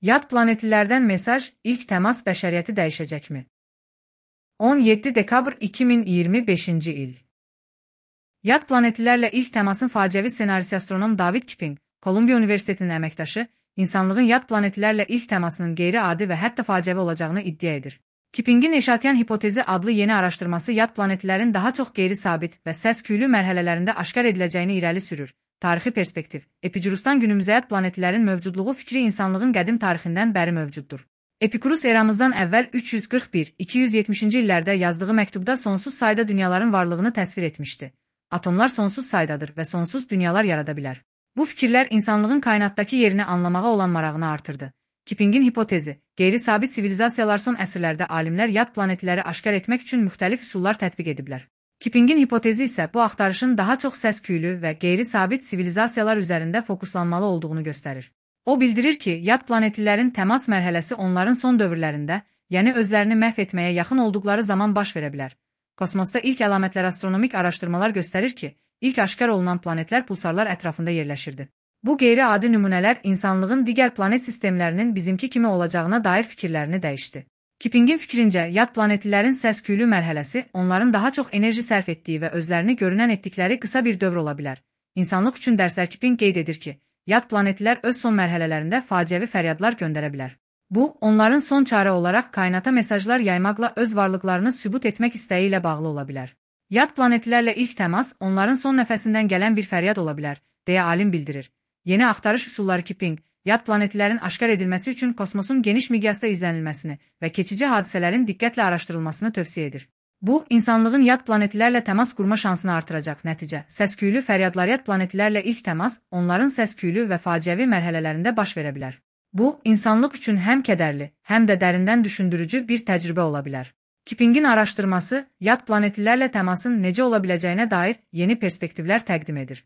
Yad planetlilərdən mesaj, ilk təmas bəşəriyyəti dəyişəcəkmi? 17 dekabr 2025-ci il. Yad planetlilərlə ilk təmasın faciəvi ssenarisi astronom David Kipping, Kolumbiya Universitetinin əməkdaşı, insanlığın yad planetlilərlə ilk təmasının qeyri-adi və hətta faciəvi olacağını iddia edir. Kippingin Eşatiyan hipotezi adlı yeni araşdırması yad planetlilərin daha çox qeyri-sabit və səs-küylü mərhələlərində aşkar ediləcəyini irəli sürür. Tarixi perspektiv, Epicurusdan günümüzə yad planetlərin mövcudluğu fikri insanlığın qədim tarixindən bəri mövcuddur. Epikurus eramızdan əvvəl 341-270-ci illərdə yazdığı məktubda sonsuz sayda dünyaların varlığını təsvir etmişdi. Atomlar sonsuz saydadır və sonsuz dünyalar yarada bilər. Bu fikirlər insanlığın kainatdakı yerini anlamağa olan marağını artırdı. Kippingin hipotezi, qeyri-sabit sivilizasiyalar son əsrlərdə alimlər yad planetləri aşkar etmək üçün müxtəlif üsullar tətbiq ediblər. Kippingin hipotezi isə bu axtarışın daha çox səs-küylü və qeyri-sabit sivilizasiyalar üzərində fokuslanmalı olduğunu göstərir. O bildirir ki, yad planetlilərin təmas mərhələsi onların son dövrlərində, yəni özlərini məhv etməyə yaxın olduqları zaman baş verə bilər. Kosmosda ilk əlamətlər astronomik araşdırmalar göstərir ki, ilk aşkar olunan planetlər pulsarlar ətrafında yerləşirdi. Bu qeyri-adi nümunələr insanlığın digər planet sistemlərinin bizimki kimi olacağına dair fikirlərini dəyişdi. Kippingin fikrincə, yad planetlilərin səs-küylü mərhələsi onların daha çox enerji sərf etdiyi və özlərini görünən etdikləri qısa bir dövr ola bilər. İnsanlıq üçün dərslər Kipping qeyd edir ki, yad planetlilər öz son mərhələlərində faciəvi fəryadlar göndərə bilər. Bu, onların son çarə olaraq kainata mesajlar yaymaqla öz varlıqlarını sübut etmək istəyi ilə bağlı ola bilər. Yad planetlilərlə ilk təmas onların son nəfəsindən gələn bir fəryad ola bilər, deyə alim bildirir. Yeni axtarış üsulları Kipping, yad planetlilərin aşkar edilməsi üçün kosmosun geniş miqyasda izlənilməsini və keçici hadisələrin diqqətlə araşdırılmasını tövsiyə edir. Bu, insanlığın yad planetlilərlə təmas qurma şansını artıracaq. Nəticə, səs-küylü fəryadlar yad planetlilərlə ilk təmas onların səs-küylü və faciəvi mərhələlərində baş verə bilər. Bu, insanlıq üçün həm kədərli, həm də dərindən düşündürücü bir təcrübə ola bilər. Kippingin araşdırması, yad planetlilərlə təmasın necə ola biləcəyinə dair yeni perspektivlər təqdim edir.